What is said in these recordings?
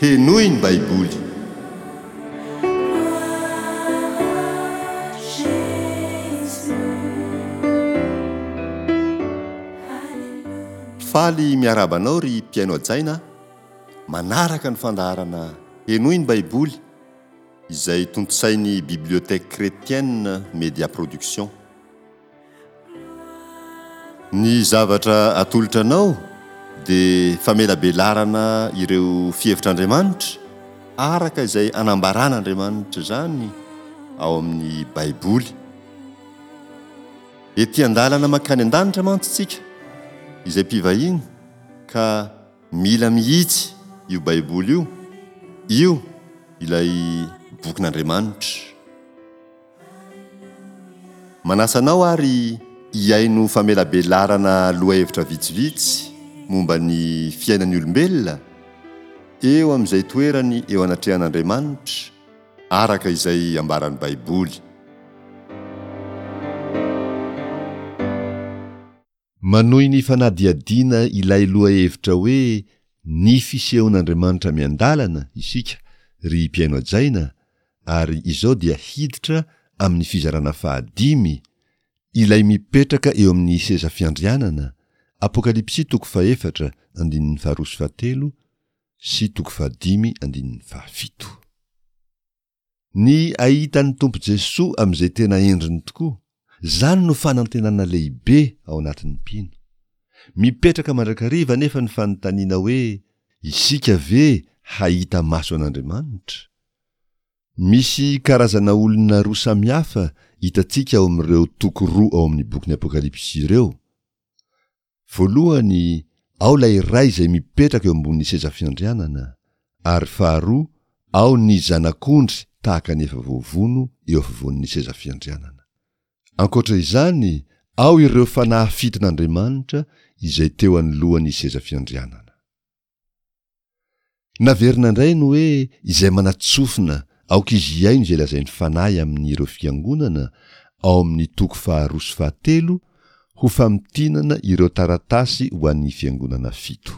Henoy ny Baiboly. Faly miarahaba anao ry mpihaino hajaina a! Manaraka ny fandaharana Henoy ny Baiboly izay tontosain'ny Bibliothèque Chrétienne Média Production. Ny zavatra atolotra anao dia famelabelarana ireo fihevitr'Andriamanitra araka izay anambaran'Andriamanitra izany ao amin'ny Baiboly. Ety an-dalana mankany an-danitra mantsy isika izay mpivahiny ka mila mihitsy io Baiboly io, io ilay bokin'Andriamanitra. Manasa anao ary hihaino famelabelarana lohahevitra vitsivitsy momba ny fiainan'ny olombelona eo amin'izay toerany eo anatrehan'Andriamanitra araka izay ambaran'ny Baiboly. Manohy ny fanadihadiana ilay lohahevitra hoe Ny fisehon'Andriamanitra miandalana isika ry mpihaino hajaina ary izao dia hiditra amin'ny fizarana fahadimy, Ilay mipetraka eo amin'ny seza fiandrianana, Apokalypsy toko fahefatra andininy faharoa sy fahatelo sy toko fahadimy andininy fahafito. Ny ahita ny Tompo Jesoa amin'izay tena endriny tokoa, izany no fanantenana lehibe ao anatin'ny mpino. Mipetraka mandrakariva anefa ny fanontaniana hoe, isika ve hahita maso an'Andriamanitra? Misy karazana olona roa samihafa hitantsika ao amin'ireo toko roa ao amin'ny bokin'ny Apokalypsy ireo. Voalohany, ao ilay Ray izay mipetraka eo ambonin'ny seza fiandrianana, ary faharoa, ao ny Zanak'ondry tahaka ny efa voavono eo afovoan'ny seza fiandrianana. Ankoatra izany, ao ireo fanahy fiton'Andriamanitra izay teo anoloan'ny seza fiandrianana. Naverina indray ny hoe izay manatsofina aoka izy hihaino izay lazain'ny Fanahy amin'ireo fiangonana ao amin'ny toko faharoa sy fahatelo ho famintinana ireo taratasy ho an'ny fiangonana fito.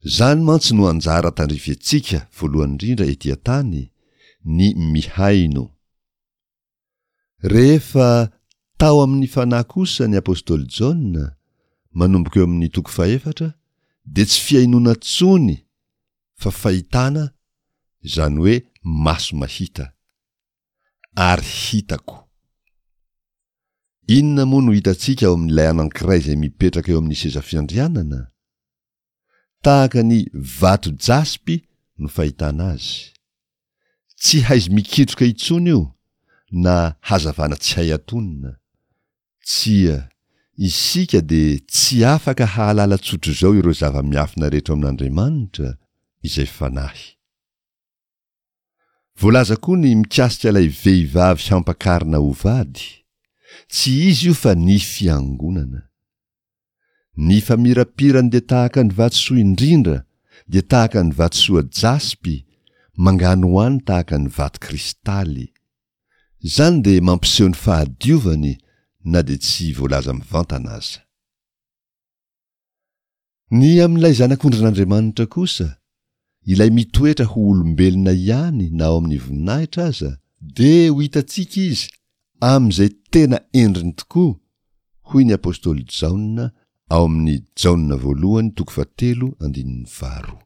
Izany mantsy no anjara tandrify antsika voalohany indrindra ety an-tany, ny mihaino. Rehefa tao amin'ny Fanahy kosa ny apostoly Jaona, manomboka eo amin'ny toko fahefatra, dia tsy fihainoana intsony fa fahitana, izany hoe maso mahita. Ary hitako. Inona moa no hitantsika ao amin'ilay anankiray izay mipetraka eo amin'ny seza fiandrianana? Tahaka ny vato jaspy no fahitana azy. Tsy haizi-mikitroka intsony io na hazavana tsy hay atonina. Tsia, isika dia tsy afaka hahalala tsotr'izao ireo zava-miafina rehetra ao amin'Andriamanitra, izay Fanahy. Voalaza koa ny mikasika ilay vehivavy hampakarina ho vady. Tsy izy io fa ny fiangonana. Ny famirapirany dia tahaka ny vatosoa indrindra, dia tahaka ny vatosoa jaspy, manganohano tahaka ny vato kristaly. Izany dia mampiseho ny fahadiovany na dia tsy voalaza mivantana aza. Ny amin'ilay Zanak'ondrin'Andriamanitra kosa, ilay mitoetra ho olombelona ihany na ao amin'ny voninahitra aza, dia ho hitantsika izy amin'izay tena endriny tokoa, hoy ny apostoly Jaona ao amin'ny Jaona voalohany toko fahatelo andininy faharoa.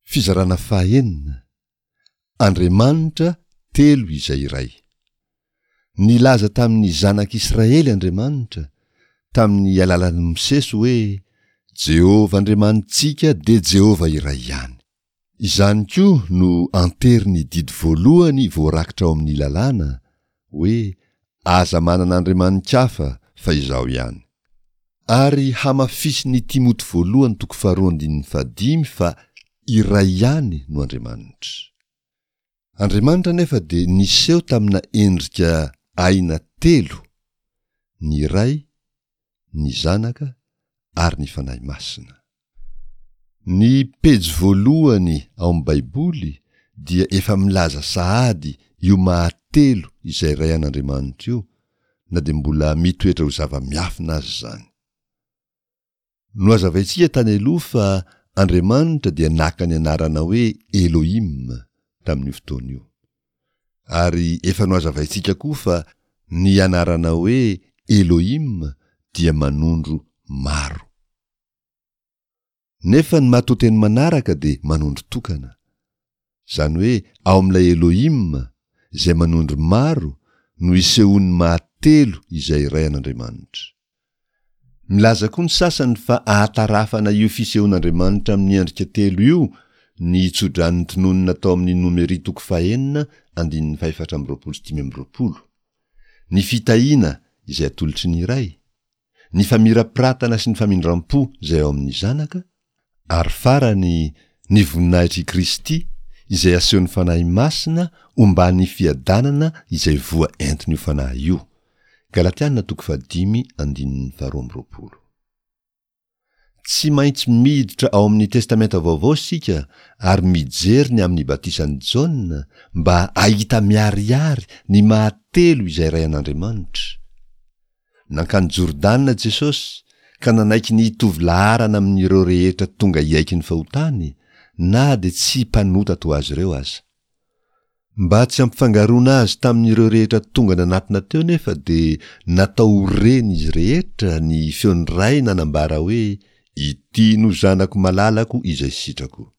Fizarana fahenina, Andriamanitra telo izay iray. Nilaza tamin'ny zanak'Israely Andriamanitra, tamin'ny alalan'i Mosesy hoe, Jehovah Andriamanitsika dia Jehovah iray ihany. Izany koa no anterin'ny didy voalohany voarakitra ao amin'ny Lalàna, hoe, Aza manana andriamani-kafa fa Izaho ihany. Ary hamafisin'ny Timoty voalohany toko faharoa andininy fahadimy fa iray ihany no Andriamanitra. Andriamanitra anefa dia niseho tamina endrika aina telo, ny Ray, ny Zanaka ary ny Fanahy Masina. Ny pejy voalohany ao amin'ny Baiboly dia efa milaza sahady io maha telo izay Ray an'Andriamanitra io, na dia mbola mitoetra ho zava-miafina aza izany. Nohazavaintsika tany aloha fa. Andriamanitra dia naka ny anarana hoe Elohim tamin'io fotoana io. Ary efa nohazavaintsika koa fa ny anarana hoe Elohim dia manondro maro. Nefa ny matoanteny manaraka dia manondro tokana. Izany hoe ao amin'ilay Elohim, izay manondro maro, no isehoan'ny maha telo izay iray an'Andriamanitra. Milaza koa ny sasany fa ahatarafana io fisehoan'Andriamanitra amin'ny endrika telo io ny tso-drano tononina tao amin'ny Nomery toko fahenina andininy fahefatra 25. Ny fitahiana izay atolotry ny Ray, ny famirapiratana sy ny famindram-po izay ao amin'ny Zanaka, ary farany, ny voninahitr'i Kristy izay asehon'ny Fanahy Masina omban'ny fiadanana izay voa entin'io Fanahy io. Galatiana toko fahadimy andininy faharoa amby roapolo. Tsy maintsy miditra ao amin'ny Testamenta Vaovao isika ary mijery ny amin'ny batisan'i Jaona mba ahita miharihary ny maha telo izay Ray an'Andriamanitra. Nankany Jordana Jesosy ka nanaiky ny hitovy laharana amin'ireo rehetra tonga hiaiky ny fahotany, na dia tsy mpanota toa azy ireo aza. Mba tsy hampifangaroana azy tamin'ireo rehetra tonga nanatona teo nefa dia natao ho ren'izy rehetra ny feon'ny Ray nanambara hoe, Ity no Zanako malalako izay sitrako.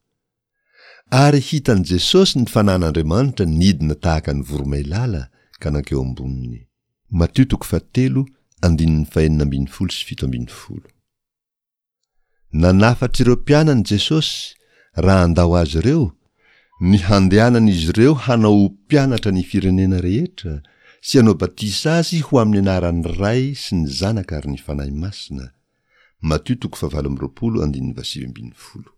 Ary hitan'i Jesosy ny Fanahin'Andriamanitra nidina tahaka ny voromailala ka nankeo amboniny. Matio toko fahatelo andininy fahenina ambin'ny folo sy 17. Nanafatra ireo mpianany Jesosy raha handao azy ireo, ny handehanan'izy ireo hanao ho mpianatra ny firenena rehetra sy hanao batisa azy ho amin'ny anaran'ny Ray sy ny Zanaka ary ny Fanahy Masina. Matio toko fahavalo amby roapolo andininy fahasivy ambin'ny folo.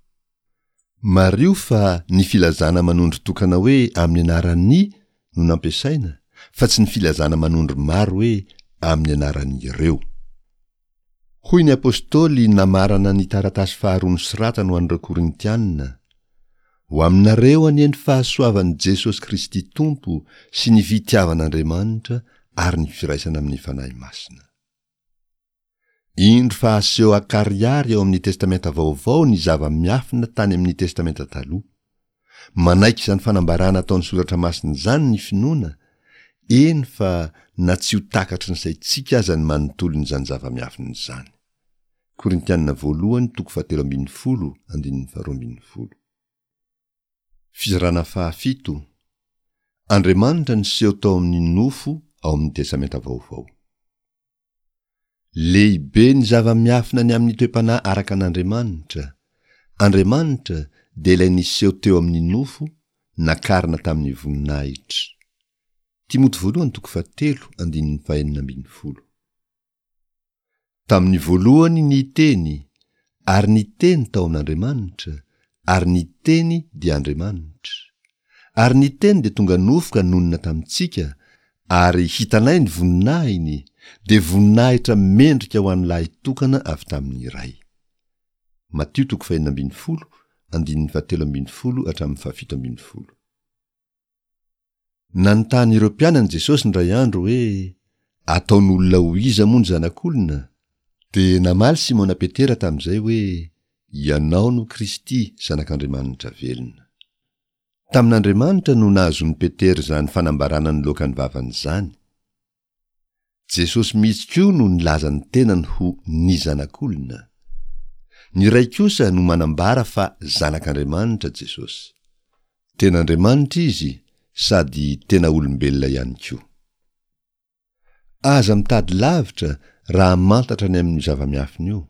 Mariho fa ny filazana manondro tokana hoe amin'ny anaran'ny no nampiasaina fa tsy ny filazana manondro maro hoe amin'ny anaran'ireo. Hoy ny apostoly namarana ny taratasy faharoa nosoratany ho an'ireo Korintiana, Ho aminareo anie ny fahasoavan'i Jesosy Kristy Tompo sy ny fitiavan'Andriamanitra ary ny firaisana amin'ny Fanahy Masina. Indro fa aseho an-karihary ao amin'ny Testamenta Vaovao ny zava-miafina tany amin'ny Testamenta Taloha. Manaiky izany fanambarana ataon'ny Soratra Masina izany ny finoana, eny fa na tsy ho takatry ny saintsika aza ny manontolon'izany zava-miafina izany. Korintiana voalohany toko fahatelo ambin'ny folo andininy faharoa ambin'ny folo. Fizarana fahafito, Andriamanitra niseho tao amin'ny nofo ao amin'ny Testamenta Vaovao. Lehibe ny zava-miafina ny amin'ny toe-panahy araka an'Andriamanitra. Andriamanitra dia ilay niseho teo amin'ny nofo, nakarina tamin'ny voninahitra. Timoty voalohany toko fahatelo andininy fahenina ambin'ny folo. Tamin'ny voalohany ny Teny, ary ny Teny tao amin'Andriamanitra, ary ny Teny dia Andriamanitra. Ary ny Teny dia tonga nofo ka nonina tamintsika, ary hitanay ny voninahiny, dia voninahitra mendrika ho an'ny Lahitokana avy tamin'ny Ray. Matio toko fahenina ambin'ny folo, andininy fahatelo ambin'ny folo hatramin'ny fahafito ambin'ny folo. Nanontany ireo mpianany Jesosy indray andro hoe, Ataon'olona ho iza moa ny Zanak'olona? Dia namaly Simona Petera tamin'izay hoe, Ianao no Kristy, Zanak'Andriamanitra velona. Tamin'Andriamanitra no nahazoan'i Petera izany fanambarana niloaka ny vavany izany. Jesosy mihitsy koa no nilaza ny tenany ho ny Zanak'olona. Ny Ray kosa no manambara fa Zanak'Andriamanitra Jesosy. Tena Andriamanitra Izy sady tena olombelona ihany koa. Aza mitady lavitra raha hamantatra ny amin'io zava-miafina io.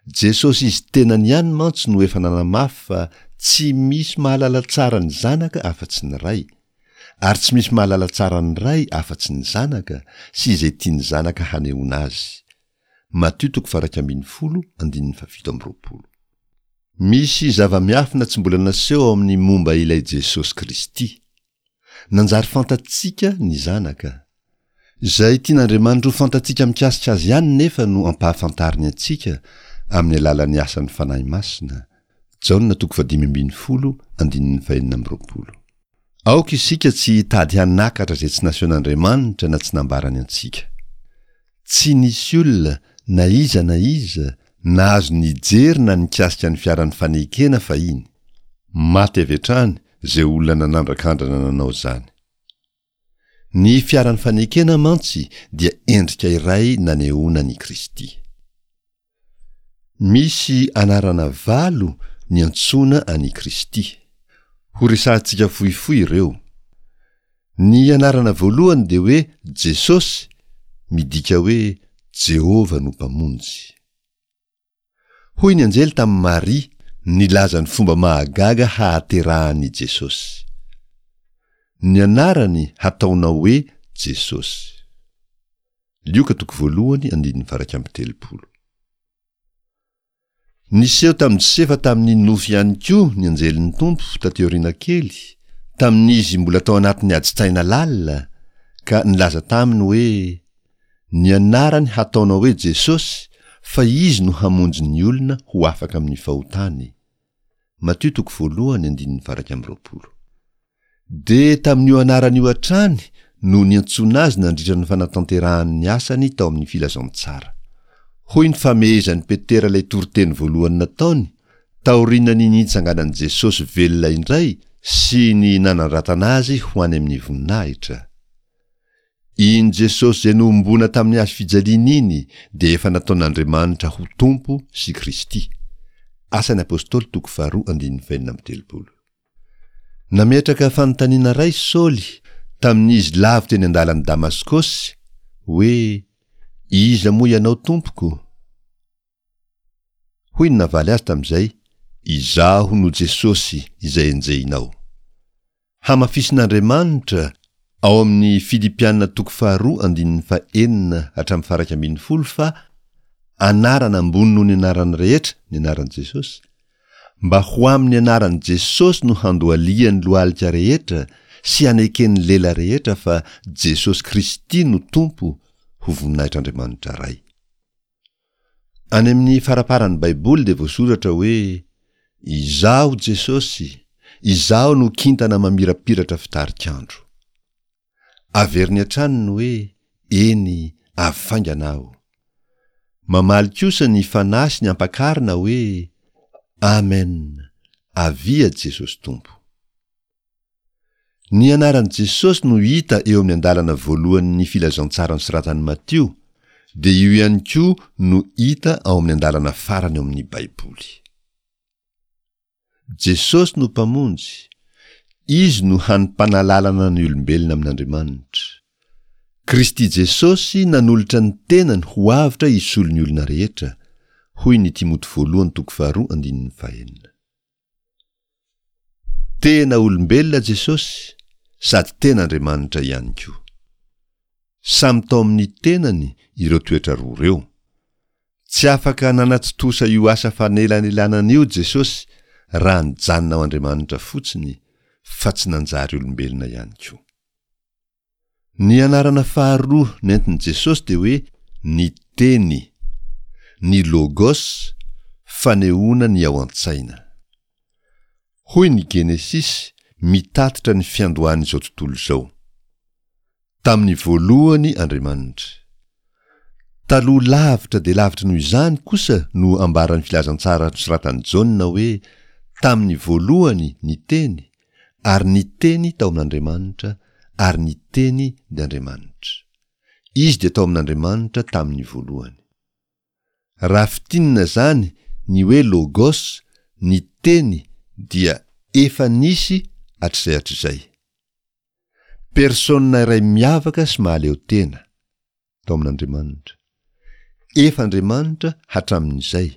Jesosy Izy tenany ihany mantsy no efa nanamafy fa tsy misy mahalala tsara ny Zanaka afa-tsy ny Ray, ary tsy misy mahalala tsara ny Ray afa-tsy ny Zanaka sy izay tian'ny Zanaka hanehoana Azy. Matio toko faha-11 andininy faha-27. Misy zava-miafina tsy mbola naseho ao amin'ny momba ilay Jesosy Kristy. Nanjary fantatsika ny Zanaka. Izay tian'Andriamanitra ho fantatsika mikasika Azy ihany nefa no ampahafantariny antsika amin'ny alalan'ny asan'ny Fanahy Masina, Jaona toko fahadimy ambin'ny folo andininy fahenina amby roapolo. Aoka isika tsy hitady hanakatra izay tsy nasehon'Andriamanitra na tsy nambarany antsika. Tsy nisy olona, na iza na iza, Nahazo nijery na nikasika ny fiaran'ny fanekena fahiny. Maty avy hatrany izay olona nanandrakandrana nanao izany. Ny fiaran'ny fanekena mantsy dia endrika iray nanehoana an'i Kristy. Misy anarana valo niantsoana an'i Kristy. Horesahantsika fohifohy ireo. Ny anarana voalohany dia hoe Jesosy, midika hoe Jehovah no Mpamonjy. Hoy ny anjely tamin'i Maria nilaza ny fomba mahagaga hahaterahan'i Jesosy. Ny anarany hataonao hoe Jesosy. Lioka toko voalohany andininy faha-31. Niseho tamin'i Josefa tamin'ny nofy ihany koa ny anjelin'ny Tompo taty aoriana kely, tamin'izy mbola tao anatin'ny adin-tsaina lalina, ka nilaza taminy hoe, Ny anarany hataonao hoe Jesosy, fa Izy no hamonjy ny olona ho afaka amin'ny fahotany. Matio toko voalohany andininy faha-21. Dia tamin'io anarana io hatrany no niantsoana azy nandritra ny fanatanterahany ny asany tao amin'ny filazantsara. Hoy ny famehezan'i Petera ilay toriteny voalohany nataony, taorian'ny nitsanganan'i Jesosy velona indray sy ny nanandratana azy ho any amin'ny voninahitra. Iny Jesosy izay nohomboana tamin'ny hazo fijaliana iny dia efa nataon'Andriamanitra ho Tompo sy Kristy. Asan'ny Apostoly toko faharoa andininy fahenina amby 30. Nametraka fanontaniana iray Saoly tamin'izy lavo teny an-dalan'i Damaskosy, hoe, Iza moa ianao, Tompoko? Hoy ny navaly azy tamin'izay, Izaho no Jesosy izay enjehinao. Hamafisin'Andriamanitra ao amin'ny Filipiana toko faharoa andininy fahenina hatramin'ny faha-11 fa anarana ambony noho ny anarana rehetra ny anaran'i Jesosy, Mba ho amin'ny anaran'i Jesosy no handohalihan'ny lohalika rehetra sy haneken'ny lela rehetra fa Jesosy Kristy no Tompo ho voninahitr'Andriamanitra Ray. Any amin'ny faraparan'ny Baiboly dia voasoratra hoe, Izaho Jesosy, Izaho no kintana mamirapiratra fitarik'andro. Averiny hatrany ny hoe, Eny, avy faingana aho. Mamaly kosa ny Fanahy sy ny Ampakarina hoe, Amen, avia Jesosy Tompo. Ny anaran'i Jesosy no hita eo amin'ny andalana voalohan'ny Filazantsara nosoratan'i Matio, dia io ihany koa no hita ao amin'ny andalana farany ao amin'ny Baiboly. Jesosy no Mpamonjy, Izy no hany mpanalalana ny olombelona amin'Andriamanitra. Kristy Jesosy nanolotra ny tenany ho avotra hisolo ny olona rehetra, hoy ny Timoty voalohany toko faharoa andininy fahenina. Tena olombelona Jesosy sady tena Andriamanitra ihany koa. Samy tao amin'ny tenany ireo toetra roa ireo. Tsy afaka nanatontosa io asa fanelanelanana io Jesosy raha nijanona ho Andriamanitra fotsiny fa tsy nanjary olombelona ihany koa. Ny anarana faharoa nentin'i Jesosy dia hoe ny Teny, ny Logos, fanehoana ny ao an-tsaina. Hoy ny Genesisy mitatitra ny fiandohan'izao tontolo izao. Tamin'ny voalohany Andriamanitra. Taloha lavitra dia lavitra noho izany kosa no ambaran'ny Filazantsara nosoratan'i Jaona hoe tamin'ny voalohany ny Teny, ary ny Teny tao amin'Andriamanitra, ary ny Teny dia Andriamanitra. Izy dia tao amin'Andriamanitra tamin'ny voalohany. Raha fintinina izany ny hoe logos, ny Teny, dia efa nisy hatrizay hatrizay. Persona iray miavaka sy mahaleo tena, tao amin'Andriamanitra. Efa Andriamanitra hatramin'izay,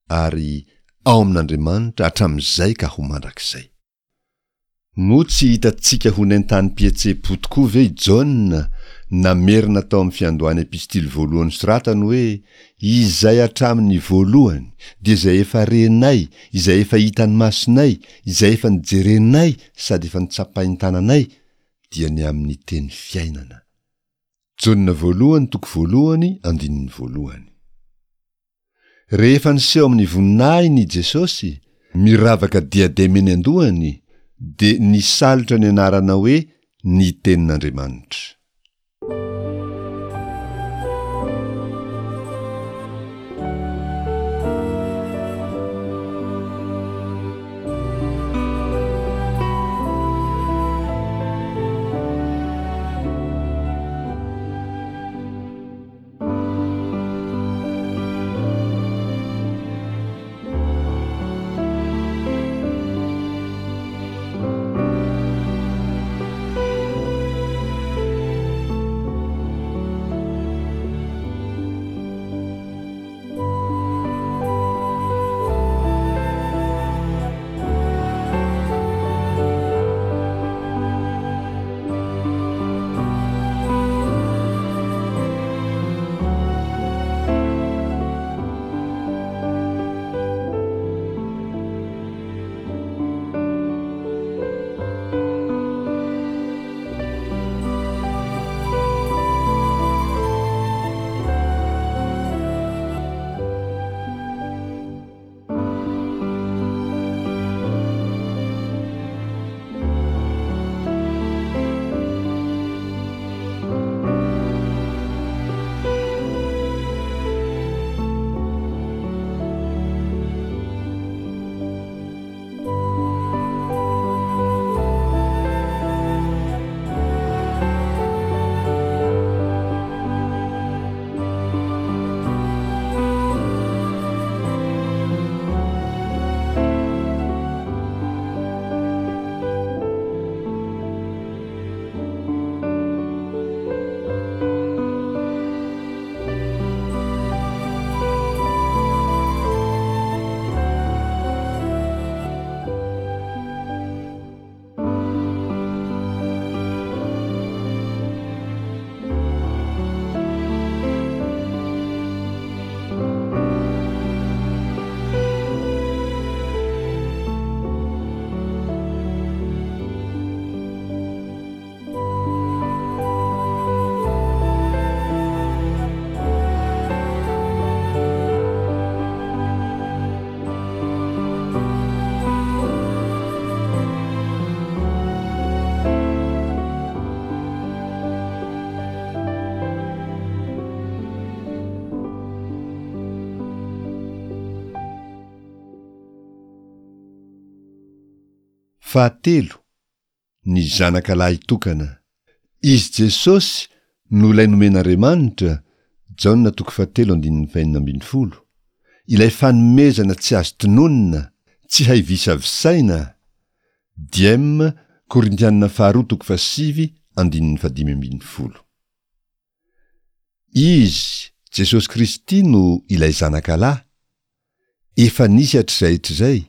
ary ao amin'Andriamanitra hatramin'izay ka ho mandrakizay. Moa tsy hitantsika ho nentanim-pihetseham-po tokoa ve i Jaona namerina tao amin'ny fiandohan'ny epistily voalohany soratany hoe, Izay hatramin'ny voalohany, dia izay efa renay, izay efa hitan'ny masonay, izay efa nijerenay sady efa notsapain-tananay, dia ny amin'ny teny fiainana. Jaona voalohany toko voalohany andininy voalohany. Rehefa niseho amin'ny voninahiny i Jesosy, miravaka diadema eny an-dohany, dia nisalotra ny anarana hoe ny Tenin'Andriamanitra. Fahatelo, ny Zanaka lahitokana. Izy Jesosy no ilay nomen'Andriamanitra, Jaona toko fahatelo andininy fahenina ambinifolo, ilay fanomezana tsy azo tononina, tsy hay visavisaina, Diem Korintiana faharoa toko fahasivy andininy fahadimy ambinifolo. Izy, Jesosy Kristy no ilay Zanaka lahy, efa nisy hatrizay hatrizay,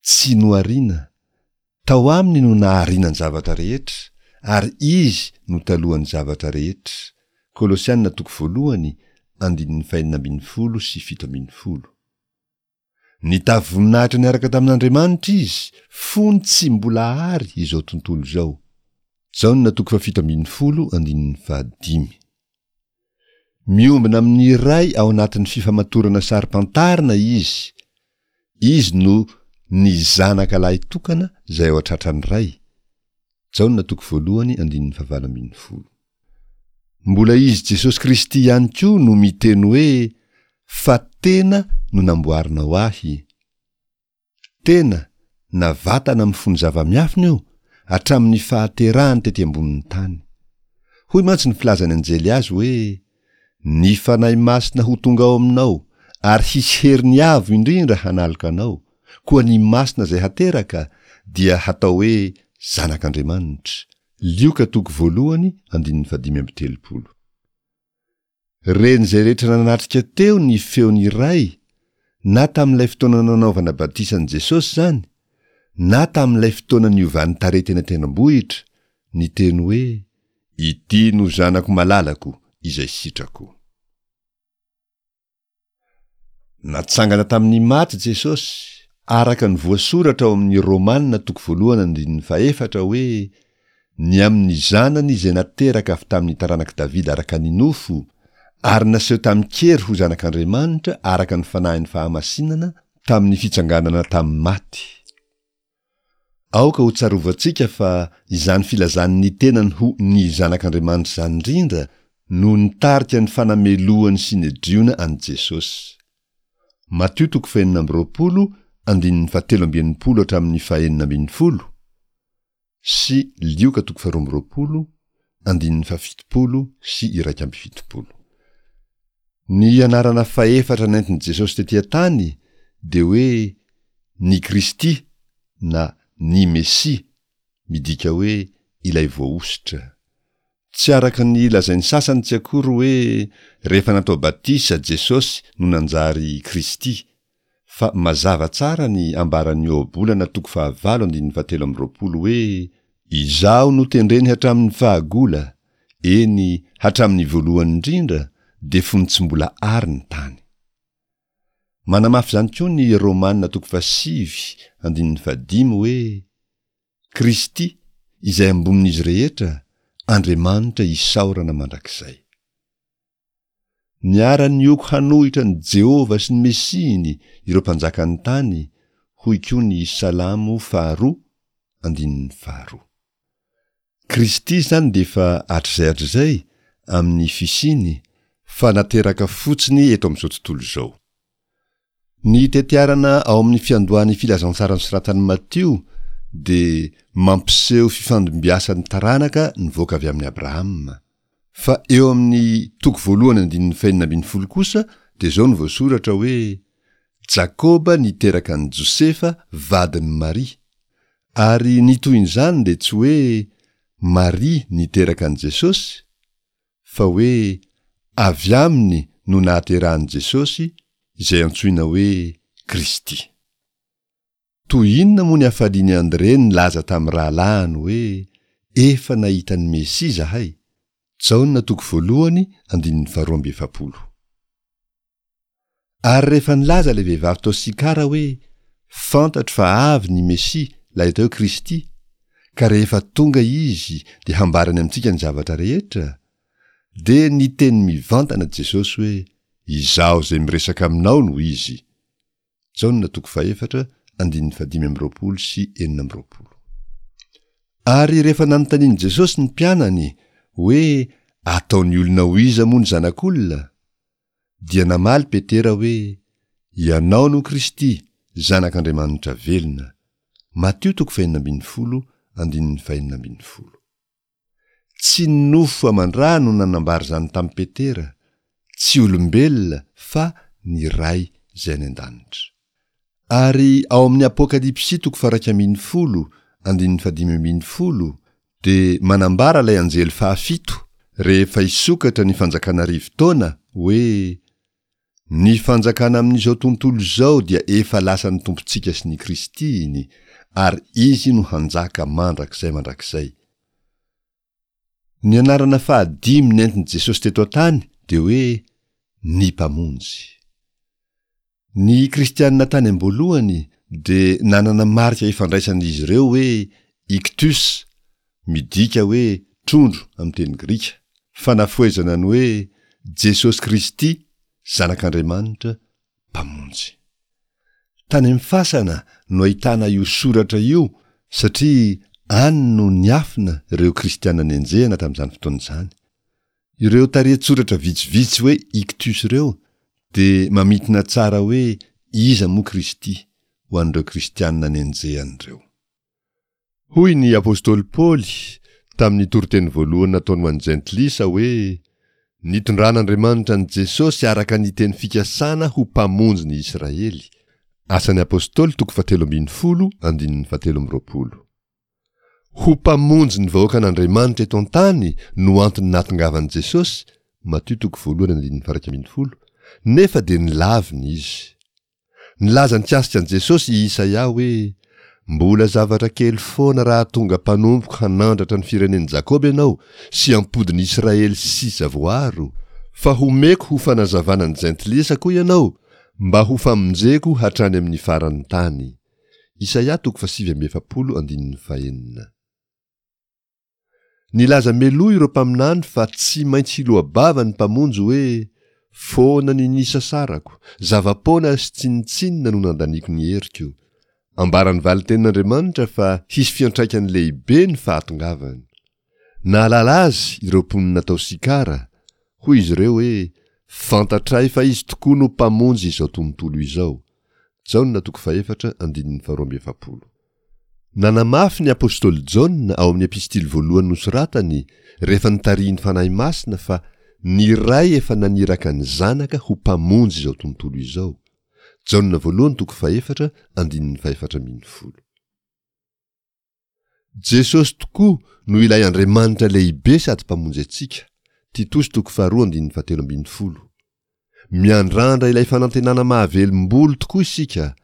tsy nohariana, tao aminy no nahariana ny zavatra rehetra, ary Izy no talohan'ny zavatra rehetra, Kolosiana toko voalohany andininy fahenina 16 17. Nitafy voninahitra niaraka tamin'Andriamanitra izy fony tsy mbola àry izao tontolo izao. Jaona toko fahafito ambinifolo andininy fahadimy. Miombona amin'ny Ray ao anatin'ny fifamatorana saro-pantarina izy. Izy no ny Zanaka lahitokana izay ao an-tratran'ny Ray. Jaona toko voalohany andininy fahavalo ambinifolo. Mbola Izy Jesosy Kristy ihany koa no miteny hoe fa tena no namboarinao ahy. Tena na vatana mifono zava-miafina io hatramin'ny fahaterahany tety ambonin'ny tany. Hoy mantsy ny filazan'ny anjely azy hoe Ny Fanahy Masina ho tonga ao aminao ary hisy heriny avo indrindra hanaloka anao, koa ny Masina izay hateraka dia hatao hoe Zanak'Andriamanitra. Lioka toko voalohany andininy fahadimy amby telopolo. Ren'izay rehetra nanatrika teo ny feon'ny Ray, na tamin'ilay fotoana nanaovana batisa an'i Jesosy izany, na tamin'ilay fotoana niovan'ny tarehy teny an-tendrombohitra, niteny hoe, Ity no Zanako malalako, izay sitrako. Natsangana tamin'ny maty Jesosy, araka ny voasoratra ao amin'ny Romana toko voalohany andininy fahefatra hoe, Ny amin'ny Zanany izay nateraka avy tamin'ny taranak'i Davida araka ny nofo, ary naseho tamin-kery ho Zanak'Andriamanitra araka ny Fanahin'ny fahamasinana tamin'ny fitsanganana tamin'ny maty. Aoka ho tsarovantsika fa izany filazany ny tenany ho ny Zanak'Andriamanitra izany indrindra no nitarika ny fanamelohan'ny Synedriona an'i Jesosy. Matio toko fahenina amby roapolo andininy fahatelo amby enimpolo hatramin'ny fahenina ambinifolo sy Lioka toko faharoa amby roapolo andininy fahafitopolo sy 71. Ny anarana fahefatra nentin'i Jesosy tetỳ an-tany dia hoe ny Kristy na ny Mesia, midika hoe Ilay Voahosotra. Tsy araka ny lazain'ny sasany tsy akory hoe rehefa natao batisa Jesosy no nanjary Kristy, fa mazava tsara ny ambaran'ny Ohabolana toko fahavalo andininy fahatelo amby roapolo hoe, Izaho notendreny hatramin'ny fahagola, eny, hatramin'ny voalohany indrindra, dia fony tsy mbola àry ny tany. Manamafy izany koa ny Romana toko fahasivy andininy fahadimy hoe, Kristy, izay ambonin'izy rehetra, Andriamanitra isaorana mandrakizay. Niara-nioko hanohitra an'i Jehovah sy ny Mesiany ireo mpanjakan'ny tany, hoy koa ny Salamo faharoa, andininy faharoa. Kristy izany dia efa hatrizay hatrizay amin'ny fisiany, fa nateraka fotsiny eto amin'izao tontolo izao. Ny tetiarana ao amin'ny fiandohan'ny Filazantsara nosoratan'i Matio dia mampiseho fifandimbiasan'ny taranaka nivoaka avy amin'i Abrahama. Fa eo amin'ny toko voalohany andininy fahenina ambinifolo kosa dia izao no voasoratra hoe, Jakoba niteraka an'i Josefa vadin'i Maria. Ary ny tohin'izany dia tsy hoe Maria niteraka an'i Jesosy, fa hoe avy aminy no nahaterahan'i Jesosy izay antsoina hoe Kristy. Toy inona moa ny hafalian'i Andre nilaza tamin'ny rahalahiny hoe, Efa nahita ny Mesia izahay! Jaona toko voalohany andininy faharoa amby efapolo. Ary rehefa nilaza ilay vehivavy tao Sikara hoe, Fantatro fa avy ny Mesia, ilay atao hoe Kristy, ka rehefa tonga Izy dia hambarany amintsika ny zavatra rehetra, dia niteny mivantana Jesosy hoe, Izaho izay miresaka aminao no Izy. Jaona toko fahefatra andininy fahadimy amby roapolo sy 26. Ary rehefa nanontanian'i Jesosy ny mpianany hoe ataon'ny olona ho iza moa ny Zanak'olona? Dia namaly Petera hoe, Ianao no Kristy, Zanak'Andriamanitra velona. Matio toko fahenina ambin'ny folo andininy fahenina ambin'ny folo. Tsy ny nofo aman-dra no nanambara izany tamin'i Petera, tsy olombelona fa ny Ray izay any an-danitra. Ary ao amin'ny Apokalypsy toko faha-iraika ambin'ny folo andininy fahadimy ambin'ny folo dia manambara ilay anjely fahafito rehefa hisokatra ny fanjakana arivo taona hoe Ny fanjakana amin'izao tontolo izao dia efa lasan'ny Tompontsika sy ny Kristiny, ary Izy no hanjaka mandrakizay mandrakizay. Ny anarana fahadimy nentin'i Jesosy teto an-tany dia hoe ny Mpamonjy. Ny Kristianina tany am-boalohany dia nanana marika ifandraisan'izy ireo hoe iktus, midika hoe trondro amin'ny teny grika, fanafohezana ny hoe Jesosy Kristy, Zanak'Andriamanitra, Mpamonjy. Tany amin'ny fasana no ahitana io soratra io satria any no niafina ireo Kristianina nenjehina tamin'izany fotoana izany. Ireo tarehin-tsoratra vitsivitsy hoe ictus ireo dia mamintina tsara hoe iza moa Kristy ho an'ireo kristianina nenjehana ireo. Hoy ny apostoly Paoly tamin'ny toriteny voalohany nataony ho an'ny Jentilisa hoe, Nitondran'Andriamanitra an'i Jesosy araka ny teny fikasana ho Mpamonjy ny Israely. Asan'ny Apostoly toko fahatelo ambin'ny folo andininy fahatelo amby roapolo. Ho Mpamonjy ny vahoakan'Andriamanitra eto an-tany no antony nahatongavan'i Jesosy, Matio toko voalohany andininy faha-iraika ambin'ny folo, nefa dia nilavina izy. Nilaza nikasika an'i Jesosy i Isaia hoe, Mbola zavatra kely foana raha tonga mpanompoko hanandratra ny firenen'i Jakoba ianao sy hampody ny Israely sisa voaro, fa homeko ho fanazavana ny jentilisa koa ianao, mba ho famonjeko hatrany amin'ny faran'ny tany. Isaia toko fahasivy amby efapolo andininy fahenina. Nilaza meloa ireo mpaminany fa tsy maintsy hiloa-bava ny Mpamonjy hoe, Foana ny nisasarako, zava-poana sy tsinontsinona no nandaniako ny heriko. Ambaran'ny valin-tenin'Andriamanitra fa hisy fiantraikany lehibe ny fahatongavany. Nahalala azy ireo mponina tao Sikara, hoy izy ireo hoe, Fantatray fa izy tokoa no Mpamonjy izao tontolo izao. Jaona toko fahefatra andininy faharoa amby efapolo. Nanamafy ny apostoly Jaona ao amin'ny epistily voalohany nosoratany rehefa notarihin'ny Fanahy Masina fa ny Ray efa naniraka ny Zanaka ho Mpamonjy izao tontolo izao. Jaona voalohany toko fahefatra andininy fahefatra ambin'ny folo. Jesosy tokoa no ilay Andriamanitra lehibe sady Mpamonjy antsika, Titosy toko faharoa andininy fahatelo ambin'ny folo. Miandrandra ilay fanantenana mahavelom-bolo tokoa isika,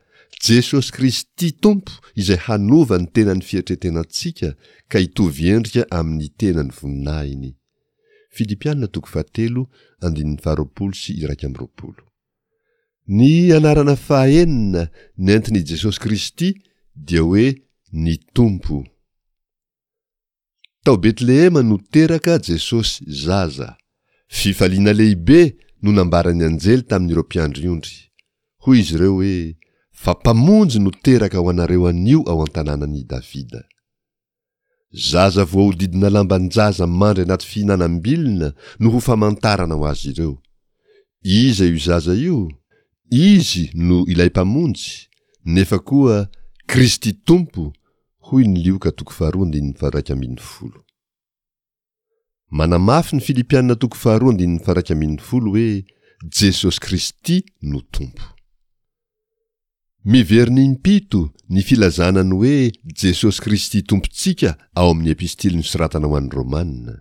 Jesosy Kristy Tompo izay hanova ny tenan'ny fietretenantsika ka hitovy endrika amin'ny tenan'ny voninahiny. Filipiana toko fahatelo andininy faharoapolo sy iraika amby roapolo. Ny anarana fahaenina nentin' i Jesosy Kristy dia hoe ny Tompo. Tao Betlehema no teraka Jesosy zaza. Fifaliana lehibe no nambaran'ny anjely tamin'ireo mpiandry ondry. Hoy izy ireo hoe, Fa Mpamonjy no teraka ho anareo anio ao an-tanànan'i Davida. Zaza voahodidina lamban-jaza mandry anaty fihinanam-bilona no ho famantarana ho azy ireo. Iza io zaza io? Izy no ilay Mpamonjy, nefa koa Kristy Tompo, hoy ny Lioka toko faharoa andininy faha-iraika ambin'ny folo. Manamafy ny Filipiana toko faharoa andininy faha-iraika ambin'ny folo hoe Jesosy Kristy no Tompo. Miverina impito ny filazana ny hoe Jesosy Kristy Tompontsika ao amin'ny epistily nosoratana ho an'ny Romana.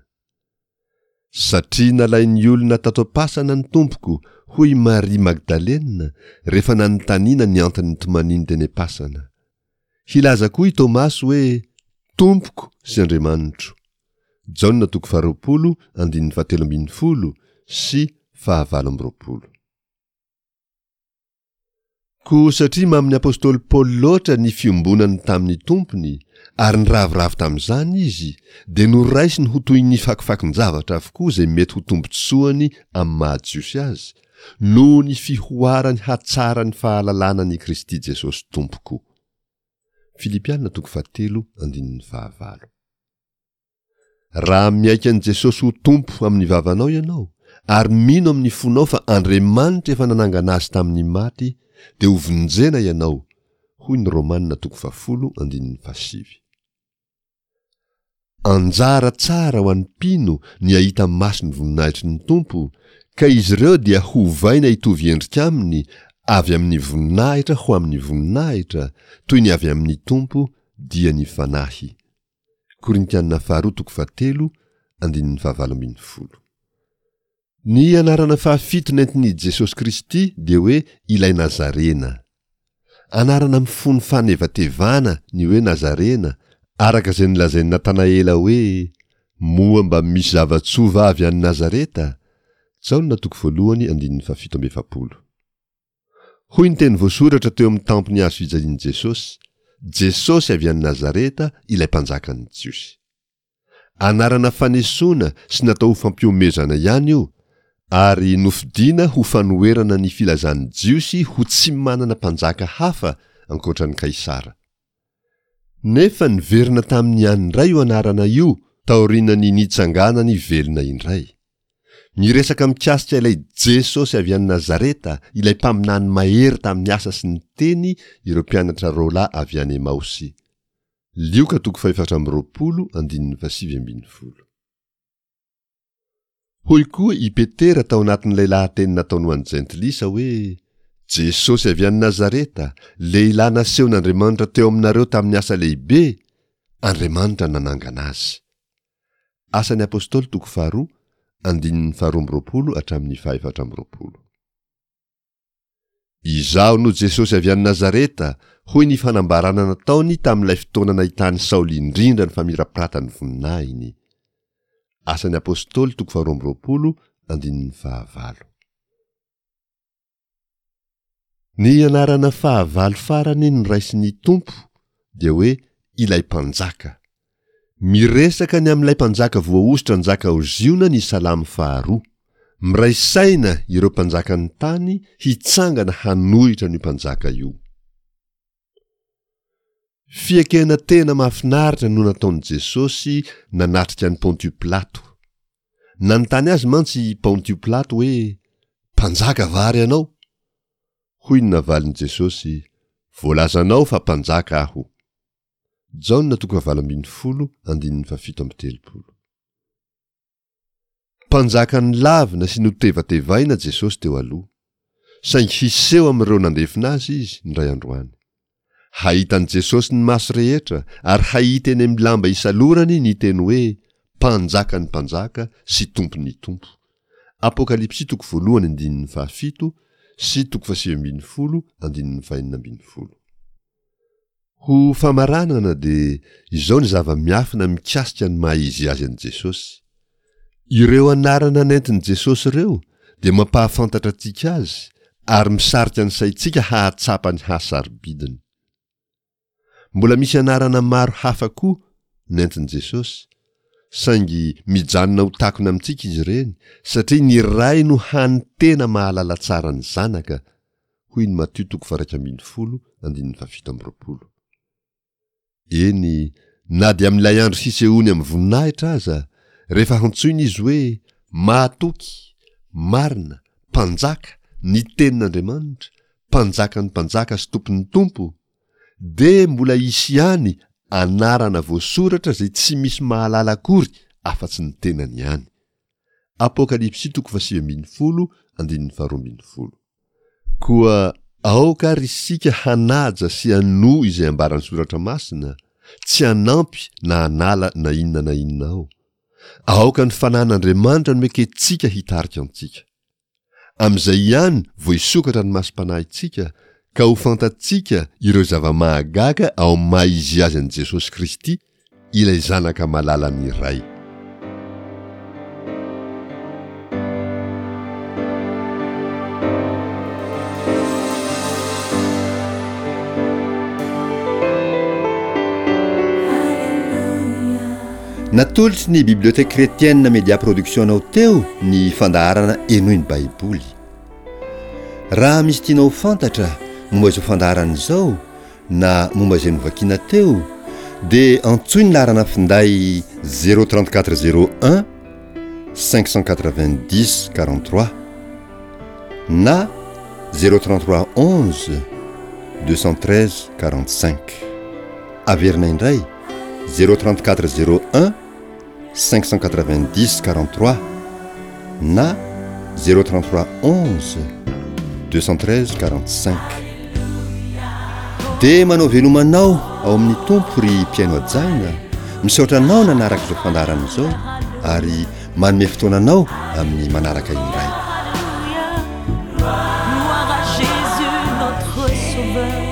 Satria nalain'ny olona tato am-pasana ny Tompoko, hoy i Maria Magdalena rehefa nanontaniana ny antony nitomaniany teny am-pasana. Hilaza koa i Tomasy hoe, Tompoko sy Andriamanitro. Jaona toko faharoapolo andininy fahatelo ambin'ny folo sy fahavalo amby roapolo. Koa satria mamin'ny apostoly Paoly loatra ny fiombonany tamin'ny Tompony ary niravoravo tamin'izany izy, dia noraisiny ho toy ny fakofakon-javatra avokoa izay mety ho tombontsoany amin'ny maha Jiosy azy, noho ny fihoaran'ny hatsaran'ny fahalalana an'i Kristy Jesosy Tompoko. Filipiana toko fahatelo andininy fahavalo. Raha miaiky an'i Jesosy ho Tompo amin'ny vavanao ianao, ary mino amin'ny fonao fa Andriamanitra efa nanangana azy tamin'ny maty, dia ho vonjena ianao. Hoy ny Romana toko fahafolo andininy fahasivy. Anjara tsara ho an'ny mpino ny hahita maso ny voninahitry ny Tompo, ka izy ireo dia hovaina hitovy endrika aminy avy amin'ny voninahitra ho amin'ny voninahitra, toy ny avy amin'ny Tompo, dia ny Fanahy. Korintiana faharoa toko fahatelo andininy fahavalo 18. Ny anarana fahafito nentin'i Jesosy Kristy dia hoe ilay Nazarena. Anarana mifono fanevatevana ny hoe Nazarena, araka izay nolazain'i Natanaela hoe, Moa mba misy zava-tsoa va avy any Nazareta? Jaona toko voalohany andininy fahafito amby 40. Hoy ny teny voasoratra teo amin'ny tampon'ny hazo fijalian'i Jesosy, Jesosy avy any Nazareta, ilay Mpanjakan'ny Jiosy. Anarana fanesoana sy natao ho fampihomezana ihany io, ary nofidina ho fanoherana ny filazan'ny Jiosy ho tsy manana mpanjaka hafa ankoatra an'i Kaisara. Nefa niverina taminy ihany indray io anarana io taorian'ny nitsanganany velona indray. Miresaka mikasika ilay Jesosy avy any Nazareta, ilay mpaminany mahery tamin'ny asa sy ny teny ireo mpianatra roalahy avy any Emaosy. Lioka toko fahefatra amby 20 andininy fahasivy ambin'ny folo. Hoy koa i Petera tao anatin'ilay lahateny nataony ho an'ny Jentilisa hoe, Jesosy avy any Nazareta, lehilahy nasehon'Andriamanitra teo aminareo tamin'ny asa lehibe, Andriamanitra nanangana azy. Asan'ny Apostoly toko faharoa, andininy faharoa amby 20 hatramin'ny fahefatra amby 20. Izaho no Jesosy avy any Nazareta, hoy ny fanambarana nataony tamin'ilay fotoana nahitan'i Saoly indrindra ny famirapiratan'ny voninahiny. Asan'ny Apostoly toko faharoa amby 20, andininy fahavalo. Ny anarana fahavalo farany noraisin'ny Tompo dia hoe ilay Mpanjaka. Miresaka ny amin'ilay Mpanjaka voahosotra hanjaka ao Ziona ny Salamo faharoa. Miray saina ireo mpanjakan'ny tany hitsangana hanohitra an'io Mpanjaka io. Fiekena tena mahafinaritra no nataon'i Jesosy nanatrika an'i Pontio Pilato. Nanontany azy mantsy i Pontio Pilato hoe, Mpanjaka va ary ianao? Hoy ny navalin'i Jesosy, Voalazanao fa mpanjaka aho. Jaona toko fahavalo ambin'ny folo andininy fahafito amby 30. Mpanjaka nolavina sy notevatevaina Jesosy teo aloha. Saingy hiseho amin'ireo nandefina azy izy indray androany. Hahita an'i Jesosy ny maso rehetra ary hahita eny amin'ny lamba isalorany ny teny hoe Mpanjakan'ny mpanjaka sy Tompon'ny tompo. Apokalypsy toko voalohany andininy fahafito sy toko fahasivy ambin'ny folo andininy fahenina ambin'ny folo. Ho famaranana dia izao ny zava-miafina mikasika ny maha izy azy an'i Jesosy. Ireo anarana nentin'i Jesosy ireo dia mampahafantatra antsika azy ary misarika ny saintsika hahatsapa ny hasarobidiny. Mbola misy anarana maro hafa koa nentin'i Jesosy, saingy mijanona ho takona amintsika izy ireny satria ny Ray no hany tena mahalala tsara ny Zanaka, hoy ny Matio toko faha-11 andininy faha-27. Eny, na dia amin'ilay andro hisehoany amin'ny voninahitra aza, rehefa hantsoina izy hoe Mahatoky, Marina, Mpanjaka, ny Tenin'Andriamanitra, Mpanjakan'ny mpanjaka sy Tompon'ny tompo, dia mbola hisy ihany anarana voasoratra izay tsy misy mahalala akory afa-tsy ny tenany ihany. Apokalypsy toko faha-19 andininy faha-12. Koa aoka ary isika hanaja sy hanoa izay ambaran'ny Soratra Masina, tsy hanampy na hanala na inona na inona ao. Aoka ny Fanahin'Andriamanitra no ekentsika hitarika antsika. Amin'izay ihany vao hisokatra ny masom-panahintsika ka ho fantatsika ireo zava-mahagaga ao amin'ny maha-izy azy an'i Jesosy Kristy ilay Zanaka malalan'ny Ray. Natolotry ny Bibliothèque Chrétienne Media Production anao teo ny fandaharana Henoy ny Baiboly. Raha misy tianao ho fantatra momba izao fandaharana izao na momba izay novakiana teo dia antsoy ny laharana finday 034 01 590 43 na 033 11. 213 45. Averina indray, 034 01 590 43 na 033 11 213 45. Dia manao veloma anao ao amin'ny Tompo ry mpihaino hajaina, misaotra anao nanaraka izao fandaharana izao ary manome fotoana anao amin'ny manaraka indray. Gloire à Jésus notre sauveur.